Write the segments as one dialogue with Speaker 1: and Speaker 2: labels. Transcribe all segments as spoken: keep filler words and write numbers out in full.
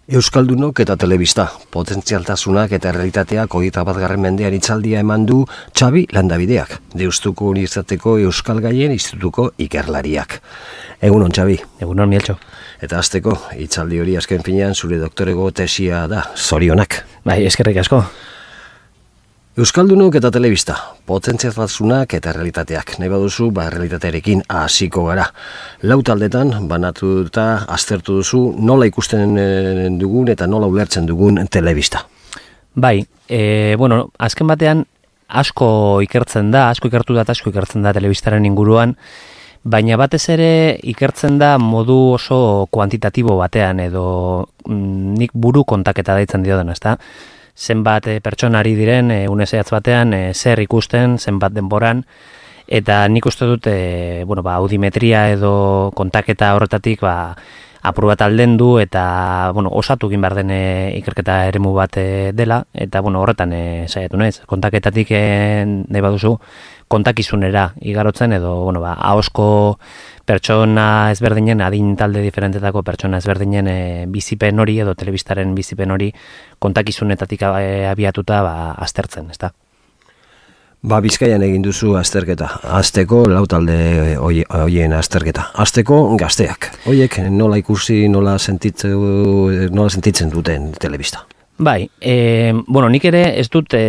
Speaker 1: Euskaldunok eta telebista, potentzialtasunak eta realitateak hogeita batgarren mendean hitzaldia eman du Xabi Landabideak, Deustuko Unibertsitateko Euskal Gaien Institutuko ikerlariak. Egunon, Xabi.
Speaker 2: Egunon, Mieltxo.
Speaker 1: Eta hasteko, hitzaldi hori azken finean zure doktorego tesia da, zorionak.
Speaker 2: Bai, eskerrik asko.
Speaker 1: Euskaldunok eta telebista, potentzialtasunak eta realitateak. Nahi baduzu, ba, realitatearekin hasiko gara. Lau taldetan, banatuta aztertu duzu, nola ikusten dugun eta nola ulertzen dugun telebista.
Speaker 2: Bai, e, bueno, azken batean asko ikertzen da, asko ikertu da eta asko ikertzen da telebistaren inguruan, baina batez ere ikertzen da modu oso kuantitatibo batean, edo mm, nik buru kontaketa deitzen diodan, ezta? Zenbat e, pertsonari diren e, une zehatz batean e, zer ikusten, zenbat denboran, eta nik uste dut e, bueno, ba, audimetria edo kontaketa horretatik ba, apur bat aldendu eta bueno, osatu egin behar den e, ikerketa eremu bat e, dela, eta bueno, horretan e, saiatu naiz. Kontaketatik e, nahi baduzu kontakizunera igarotzen edo bueno, ba, ahosko pertsona ezberdinen, adin talde diferentetako pertsona ezberdinen e, bizipen hori edo telebistaren bizipen hori kontakizunetatik e, abiatuta ba, aztertzen, ezta?
Speaker 1: Ba, Bizkaian egin duzu azterketa. Hasteko lau talde hoien azterketa. Hasteko gazteak. Hoiek nola ikusi, nola sentitzen, nola sentitzen duten telebista.
Speaker 2: Bai, e, bueno, nik ere ez dut e,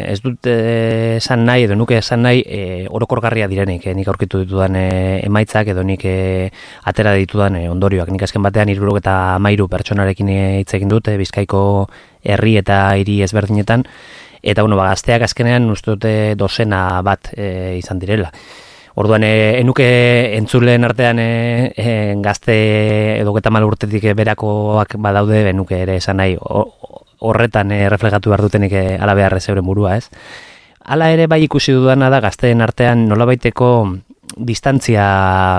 Speaker 2: ez dut esan nahi edo nuke esan nahi e, orokorgarria direnik, e, nik aurkitu ditudan e, emaitzak edo nik e, atera ditudan e, ondorioak. Nik azken batean hirurogeta hamairu pertsonarekin hitz egin dut, e, Bizkaiko herri eta hiri ezberdinetan, eta bueno, ba, gazteak azkenean uste dute dozena bat e, izan direla. Orduan, e, enuke entzuleen artean e, e, gazte edo geta mal urtetik berakoak badaude, enuke ere esan nahi horretan e, reflejatu behar dutenik e, ala beharrez euren burua, ez? Hala ere bai ikusi dudana da gazteen artean nolabaiteko distantzia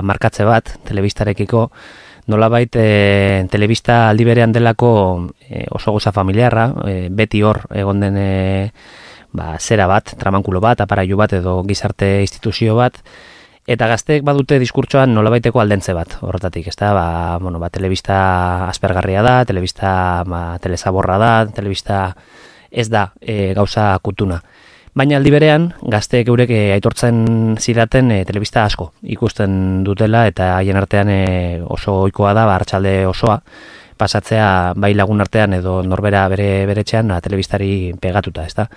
Speaker 2: markatze bat, telebistarekiko, nolabait e, telebista aldi berean delako e, oso goza familiarra, e, beti hor egon den e, ba, zera bat, tramankulo bat, aparailu bat edo gizarte instituzio bat, eta gazteek badute diskurtsoan nolabaiteko aldentze bat horretatik, ezta? Ba, bueno, ba, telebista aspergarria da, telebista ba, telesaborra da, telebista ez da e, gauza kutuna. Baina aldi berean, gazteek eurek e, aitortzen zidaten e, telebista asko ikusten dutela eta haien artean e, oso ohikoa da, ba, arratsalde osoa, pasatzea bai lagun artean edo norbera bere beretxean telebistari pegatuta, ezta?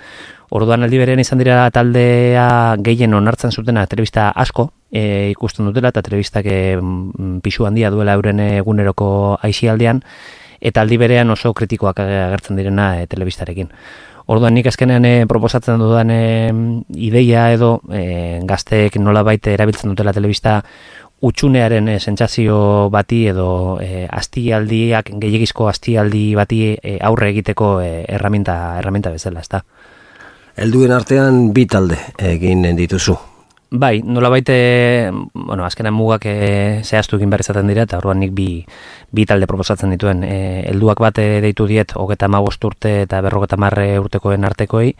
Speaker 2: Orduan aldi berean izan dira taldea gehien onartzen zutena telebista asko e, ikusten dutela eta telebistak e, pisu handia duela euren eguneroko aisialdian eta aldi berean oso kritikoak agertzen direna e, telebistarekin. Orduan nik azkenean e, proposatzen dudan e, ideia edo e, gazteek nolabait erabiltzen dutela telebista utxunearen e, sentsazio bati edo e, astialdiak, gehiagizko astialdi bati e, aurre egiteko e, erraminta, erraminta bezala, ezta?
Speaker 1: Helduen artean bi talde egin dituzu.
Speaker 2: Bai, nolabait, bueno, azkenan mugak e, zehaztu egin behar izaten dira, eta orduan nik bi, bi talde proposatzen dituen. E, helduak bat deitu diet, hogeta hamabost urte eta berrogeta marre urtekoen artekoei,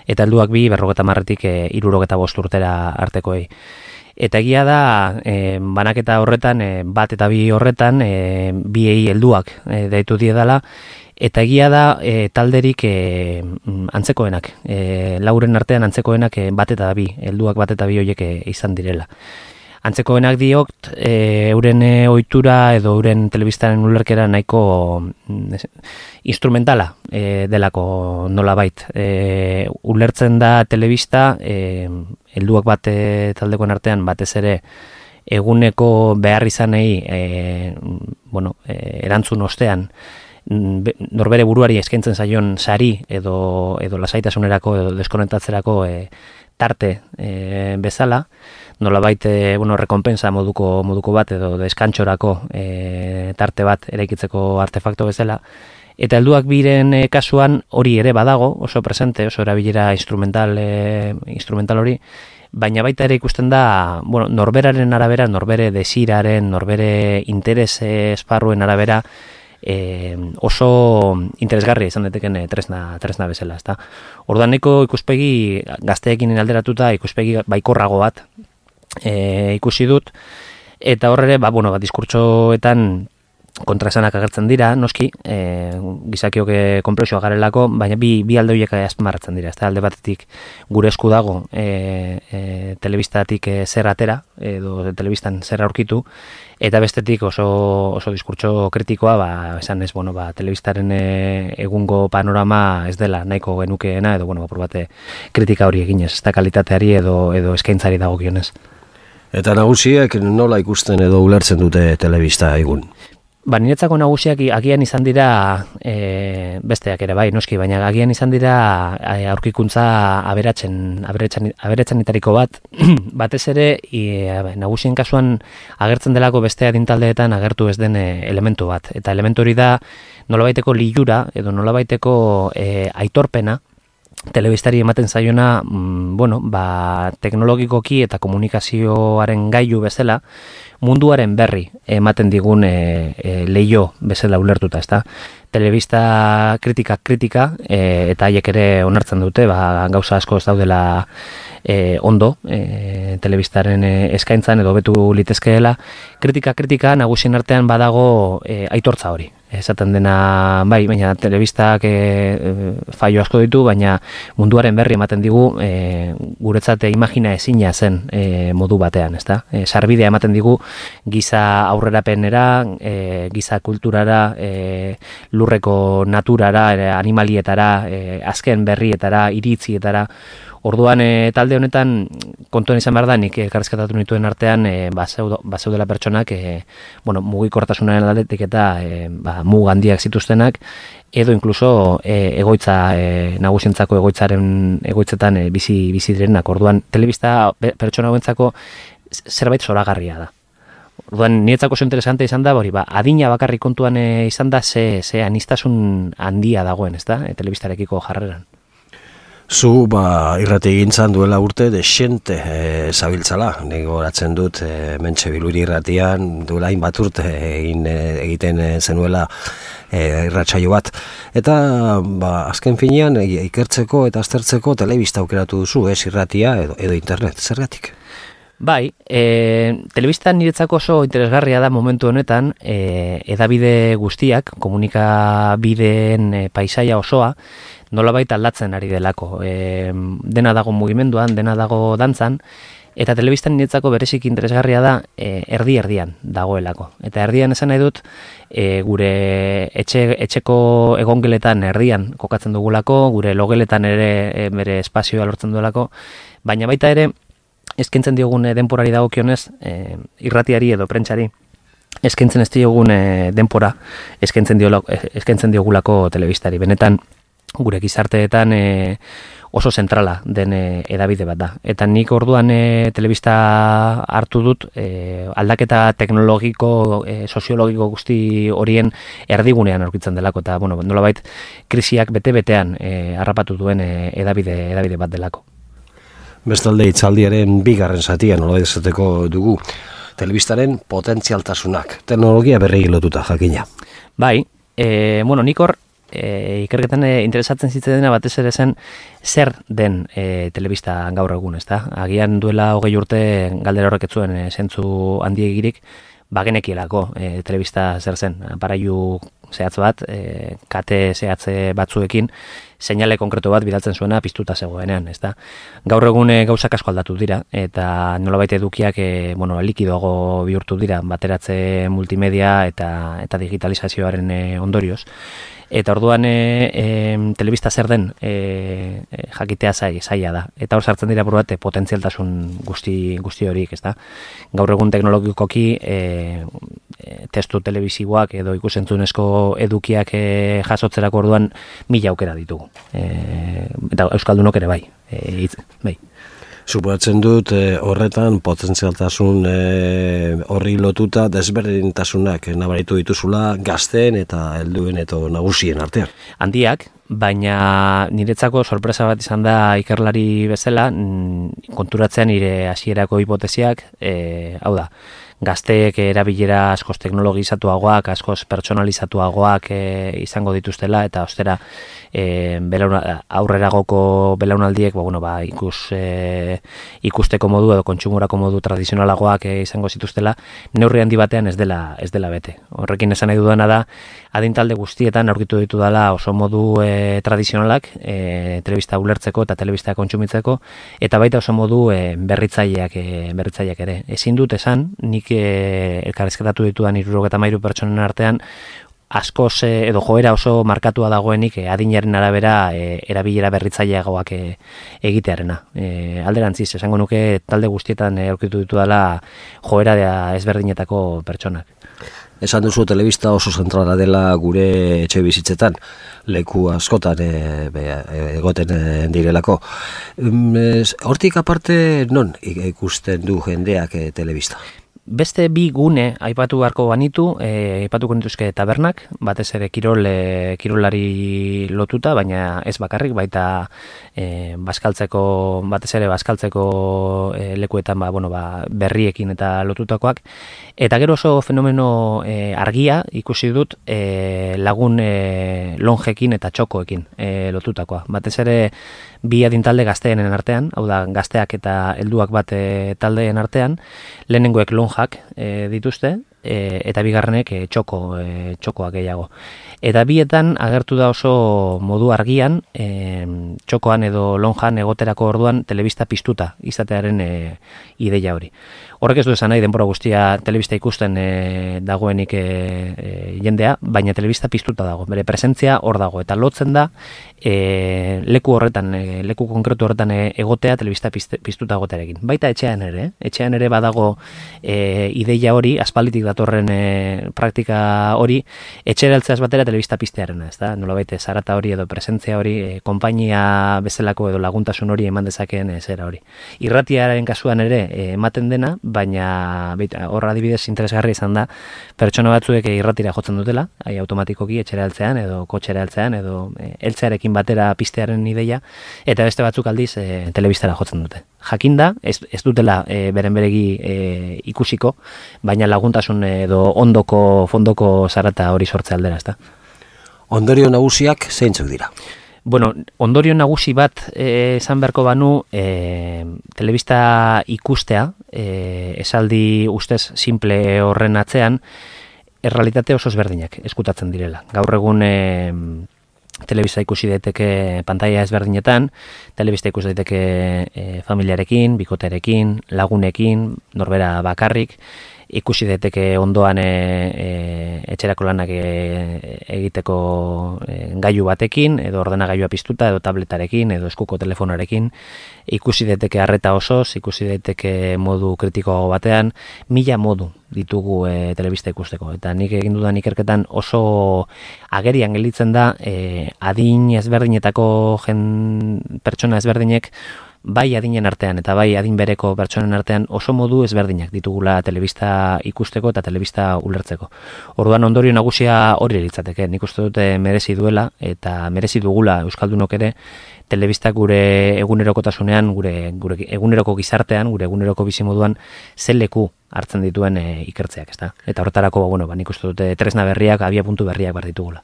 Speaker 2: eta helduak bi, berrogeta marretik e, irurogeta bost urtera artekoei. Eta egia da, e, banaketa horretan, e, bat eta bi horretan, e, biei helduak e, deitu diedala, eta egia da e, talderik e, antzekoenak, e, lauren artean antzekoenak e, bat eta bi, helduak bat eta bi horiek e, izan direla. Antzekoenak diot, e, euren e, ohitura edo euren telebistaren ulerkera nahiko mm, instrumentala e, delako nolabait. E, ulertzen da telebista, e, helduak bat e, taldekoen artean batez ere eguneko behar izanei e, bueno, e, erantzun ostean, norbere buruari eskaintzen zaion sari edo edo lasaitasunerako edo deskonektatzerako e, tarte e, bezala, nolabait e, bueno, rekonpensa moduko moduko bat edo deskantxorako e, tarte bat eraikitzeko artefakto bezala. Eta helduak biren e, kasuan hori ere badago, oso presente, oso erabilera instrumental e, instrumental hori, baina baita ere ikusten da, bueno, norberaren arabera, norbere desiraren, norbere interes esparruen arabera, E, oso interesgarria izan dateken tresna, tresna bezala, ezta? Orduan nahiko ikuspegi gazteekin alderatuta ikuspegi baikorrago bat e, ikusi dut, eta horre, ba, bueno, ba, diskurtsoetan kontraesanak agertzen dira, noski, e, gizakiok konplexua garelako, baina bi, bi alde horiek azpimarratzen dira. Ez da, alde batetik gure esku dago e, e, telebistatik e, zer atera, edo telebistan zer aurkitu, eta bestetik oso, oso diskurtso kritikoa, ba, esan ez, bueno, ba, telebistaren e, egungo panorama ez dela nahiko genukeena, edo, bueno, apur bate kritika hori eginez, ez da kalitateari edo, edo eskaintzari dagokionez.
Speaker 1: Eta nagusiek nola ikusten edo ulertzen dute telebista egun?
Speaker 2: Ba, niretzako nagusiak agian izan dira e, besteak ere bai, noski, baina agian izan dira e, aurkikuntza aberatzen, aberatzen, aberatzenetariko bat, batez ere e, nagusien kasuan agertzen delako beste adintaldeetan agertu ez den e, elementu bat. Eta elementu hori da nolabaiteko lilura edo nolabaiteko e, aitorpena, telebistari ematen zaiona, mm, bueno, ba, teknologikoki eta komunikazioaren gailu bezala, munduaren berri ematen digun e, e, leio bezala ulertuta, ezta? Telebista kritika kritika e, eta haiek ere onartzen dute, ba, gauza asko ez daudela e, ondo, e, telebistaren e, eskaintzan edo betu litezkeela. Kritika kritika nagusien artean badago e, aitortza hori. Esaten dena, bai, baina telebistak e, e, faio asko ditu, baina munduaren berri ematen digu e, guretzat imagina ezina zen e, modu batean, ezta? E, sarbidea ematen digu giza aurrerapenera, e, giza kulturara, e, lurreko naturara, e, animalietara, e, azken berrietara, iritzietara. Orduan e, talde honetan kontuan izan behar da, nik elkarrizketatu nituen artean e, bazeudela pertsonak e, bueno, mugikortasunaren aldetik eta e, ba, mug handiak zituztenak, edo inkluso e, egoitza e, nagusientzako egoitzaren egoitzetan e, bizi bizi direnak. Orduan telebista pertsona hauentzako zerbait zoragarria da. Orduan niretzako oso interesante izan da, hori ba, adina bakarrik kontuan e, izan da ze ze anistasun handia dagoen, ezta? E, telebistarekiko jarreran.
Speaker 1: Zu, ba, irrati egintzan duela urte desente e, zabiltzala. Nik goratzen dut e, Mentxe Biluri irratian duela hainbat urte egin e, egiten e, zenuela e, irratsaio bat. Eta ba, azken finean e, ikertzeko eta aztertzeko telebista aukeratu duzu, ez irratia edo, edo internet. Zergatik?
Speaker 2: Bai, e, telebistan niretzako oso interesgarria da momentu honetan, e, edabide guztiak, komunikabideen e, paisaia osoa, nolabait aldatzen ari delako. E, dena dago mugimenduan, dena dago dantzan, eta telebistan niretzako berezik interesgarria da e, erdi-erdian dagoelako. Eta erdian esan nahi dut, e, gure etxe, etxeko egongeletan erdian kokatzen dugulako, gure logeletan ere e, bere espazioa lortzen duelako, baina baita ere, eskaintzen diogun denporari dagokionez, e, irratiari edo prentsari, eskaintzen ez diogun e, denpora, eskaintzen, diolako, eskaintzen diogulako telebistari. Benetan, gure gizarteetan e, oso zentrala den e, edabide bat da. Eta nik orduan e, telebista hartu dut e, aldaketa teknologiko, e, soziologiko guzti horien erdigunean aurkitzen delako. Eta bueno, nolabait krisiak bete-betean e, harrapatu duen e, edabide, edabide bat delako.
Speaker 1: Bestalde hitzaldiaren bigarren zatia nola izateko dugu telebistaren potentzialtasunak, teknologia berri lotuta jakina.
Speaker 2: Bai, e, bueno, nik hor e, ikerketan e, interesatzen zitzaidena batez ere zen zer den e, telebista gaur egun, ezta? Agian duela hogei urte galdera horrek ez zuen e, zentzu handiegirik, bagenekielako e, telebista zer zen, aparailu zehatz bat, e, kate zehatze batzuekin, seinale konkretu bat bidaltzen zuena piztuta zegoenean, ezta? Gaur egun e, gauzak asko aldatu dira, eta nolabait edukiak e, bueno, likidoago bihurtu dira, bateratze multimedia eta, eta digitalizazioaren e, ondorioz. Eta orduan e, e, telebista zer den e, e, jakitea zai, zaila da. Eta hor sartzen dira buru bat e, potentzialtasun guzti, guzti horiek, ezta? Gaur egun teknologikoki e, e, testu telebisiboak edo ikusentzunezko edukiak e, jasotzerako orduan mila aukera ditugu. E, eta euskaldunok ere bai. E, itz, bai.
Speaker 1: Suposatzen dut e, horretan potentzialtasun e, horri lotuta desberdintasunak nabaritu dituzula gazteen eta helduen eta nagusien artean.
Speaker 2: Handiak, baina niretzako sorpresa bat izan da ikerlari bezala, konturatzen nire hasierako hipotesiak, e, hau da, gazteek erabilera askoz teknologizatuagoak, askoz pertsonalizatuagoak e, izango dituztela, eta ostera e, belauna, aurreragoko belaunaldiek ba, bueno, ba, ikus, e, ikusteko modu edo kontsumorako modu tradizionalagoak e, izango zituztela, neurri handi batean ez dela, ez dela bete. Horrekin esan nahi dudana da, adintalde guztietan aurkitu ditu dela oso modu e, tradizionalak, e, telebista ulertzeko eta telebista kontsumitzeko, eta baita oso modu e, berritzaileak, e, berritzaileak ere. Ezin dut esan, nik e, elkarrizketatu ditudan hirurogeita hamairu pertsonen artean, askoz e, edo joera oso markatua dagoenik e, adinaren arabera e, erabilera berritzaileagoak e, egitearena. E, alderantziz, esango nuke talde guztietan e, aurkitu ditu dela joera ezberdinetako pertsonak.
Speaker 1: Esan duzu telebista oso zentrala dela gure etxe bizitzetan, leku askotan e, be, egoten e, direlako. Hortik aparte, non ikusten du jendeak e, telebista?
Speaker 2: Beste bi gune aipatu beharko banitu, e, aipatuko nituzke tabernak, batez ere kirol, e, kirolari lotuta, baina ez bakarrik, baita e, baskaltzeko, batez ere baskaltzeko e, lekuetan ba, bueno, ba, berriekin eta lotutakoak. Eta gero oso fenomeno e, argia ikusi dut e, lagun e, lonjekin eta txokoekin e, lotutakoa. Batez ere bi adintalde gazteenen artean, hau da gazteak eta helduak bat e, taldeen artean, lehenengoek lonjak e, dituzte, e, eta bigarrenek e, txoko, e, txokoak gehiago. Eta bietan agertu da oso modu argian, e, txokoan edo lonjan egoterako orduan telebista piztuta izatearen e, ideia hori. Horrek ez du esan nahi denbora guztia telebista ikusten e, dagoenik e, e, jendea, baina telebista piztuta dago, bere presentzia hor dago, eta lotzen da e, leku horretan, e, leku konkretu horretan e, egotea telebista piztuta egotearekin. Baita etxean ere, eh? etxean ere badago e, ideia hori, aspalditik datorren e, praktika hori, etxera heltzeaz batera telebista piztearena, ez da? Nolabait zarata hori edo presentzia hori, e, konpainia bezalako edo laguntasun hori eman dezakeen e, zera hori. Irratiaren kasuan ere e, ematen dena, baina horra adibidez interesgarri izan da pertsona batzuek irratira jotzen dutela, ai automatikoki etxera heltzean edo kotxera heltzean edo e, heltzearekin batera piztearen ideia, eta beste batzuk aldiz e, telebistara jotzen dute. Jakinda, ez, ez dutela e, beren beregi e, ikusiko, baina laguntasun edo ondoko, fondoko zarata hori sortze aldera, ezta?
Speaker 1: Ondorio nagusiak zeintzuk dira?
Speaker 2: Bueno, ondorio nagusi bat eh, esan beharko banu, eh, telebista ikustea, eh, esaldi ustez simple horren atzean, errealitate oso ezberdinak eskutatzen direla. Gaur egun eh, telebista ikusi daiteke pantaila ezberdinetan, telebista ikusi daiteke eh, familiarekin, bikotearekin, lagunekin, norbera bakarrik, ikusi daiteke ondoan e, e, etxerako lanak e, egiteko e, gailu batekin, edo ordenagailua piztuta, edo tabletarekin, edo eskuko telefonarekin, ikusi daiteke arreta osoz, ikusi daiteke modu kritiko batean, mila modu ditugu e, telebista ikusteko. Eta nik egin dudan ikerketan oso agerian gelditzen da, e, adin ezberdinetako jen, pertsona ezberdinek, bai adinen artean eta bai adin bereko pertsonen artean oso modu ezberdinak ditugula telebista ikusteko eta telebista ulertzeko. Orduan ondorio nagusia hori litzateke. Nik uste dute merezi duela eta merezi dugula euskaldunok ere telebista gure egunerokotasunean, gure, gure eguneroko gizartean, gure eguneroko bizimoduan zen leku hartzen dituen e, ikertzeak, ezta? Eta horretarako, bueno, ba, nik uste dute tresna berriak, abia puntu berriak bar ditugula.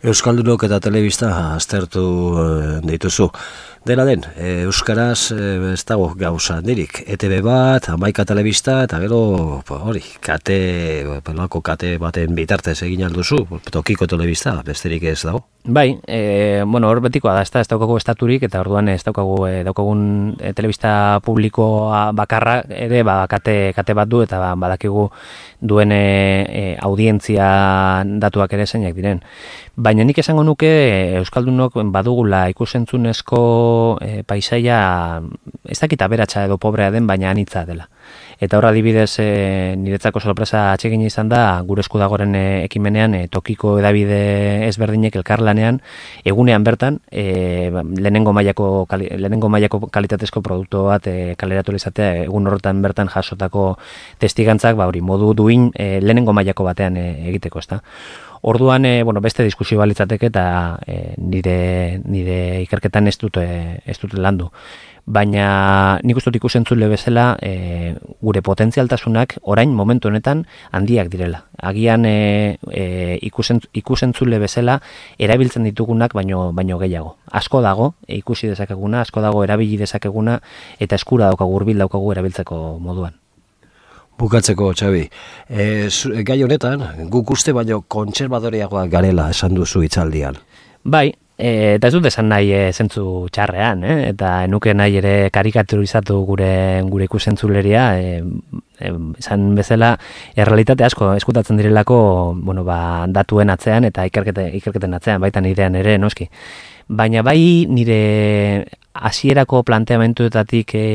Speaker 1: Euskaldunok eta telebista aztertu dituzu. Dena den, euskaraz ez dago gauza handirik. E Te Be bat, hamaika telebista, eta gero hori, kate, pelako kate baten bitartez egin alduzu, tokiko telebista, besterik ez dago.
Speaker 2: Bai, e, bueno, hor betikoa da, ez da, ez daukagu estaturik, eta orduan ez daukagu, e, daukagun e, telebista publikoa bakarra ere, ba, kate, kate bat du, eta ba, badakigu duen e, e, audientzia datuak ere zeinak diren. Baina nik esango nuke euskaldunok badugula ikusentzunezko e, paisaia ez dakit aberatsa edo pobrea den, baina anitza dela. Eta horra adibidez e, niretzako sorpresa atsegin izan da gure esku dagoren e, ekimenean e, tokiko edabide ezberdinek elkarlanean egunean bertan e, lehenengo mailako kali, lehenengo mailako kalitatezko produktu bat e, kaleratu izatea egun horretan bertan jasotako testigantzak ba hori modu duin e, lehenengo mailako batean e, egiteko, ezta. Orduan, e, bueno, beste diskusio balitzateke eta e, nire, nire ikerketan ez dut, e, ez dut landu. Baina nik uste dut ikusentzule bezala e, gure potentzialtasunak orain momentu honetan handiak direla. Agian e, e, ikusen, ikusentzule bezala erabiltzen ditugunak baino, baino gehiago. Asko dago e, ikusi dezakeguna, asko dago erabili dezakeguna eta eskura daukagu, hurbil daukagu erabiltzeko moduan.
Speaker 1: Bukatzeko, Xabi, e, gai honetan, guk uste baino kontserbadoreagoak garela esan duzu hitzaldian.
Speaker 2: Bai, e, eta ez dut esan nahi e, zentzu txarrean, eh? Eta enuke nahi ere karikaturizatu gure, gure ikusentzuleria, e, e, esan bezala, errealitate asko eskutatzen direlako bueno, ba, datuen atzean eta ikerkete, ikerketen atzean, baita nirean ere, noski. Baina bai nire hasierako planteamentuetatik e,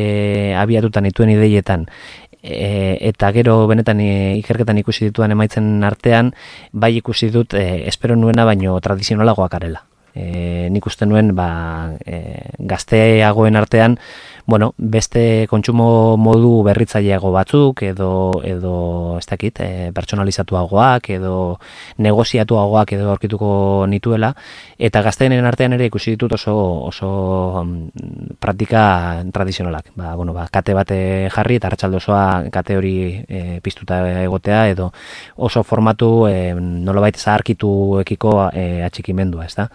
Speaker 2: abiatutan dituen ideietan, E, eta gero benetan e, ikerketan ikusi dituan emaitzen artean, bai ikusi dut e, espero nuena baino tradizionalagoak arela. E, nik uste nuen ba, e, gazteagoen artean bueno, beste kontsumo modu berritzaileago batzuk edo edo ez dakit, e, pertsonalizatuagoak edo negoziatuagoak edo aurkituko nituela, eta gazteenen artean ere ikusi ditut oso oso um, praktika tradizionalak. Ba, bueno, ba, kate bate jarri eta arratsalde osoa kate hori e, piztuta egotea edo oso formatu e, nolabait zaharkituekiko e, atxikimendua, ezta?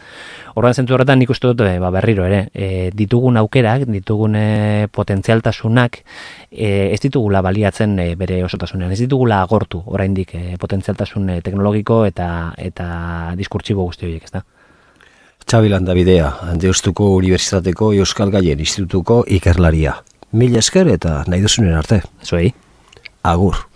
Speaker 2: Orduan zentzu horretan nik uste dut e, ba, berriro ere, e, ditugun aukerak, ditugun e, potentzialtasunak e, ez ditugula baliatzen e, bere osotasunean, ez ditugula agortu oraindik e, potentzialtasun e, teknologiko eta eta diskurtsibo guzti horiek, ezta?
Speaker 1: Xabi Landabidea, Deustuko Unibertsitateko Euskal Gaien Institutuko ikerlaria. Mila esker eta nahi duzunen arte.
Speaker 2: Zuei.
Speaker 1: Agur.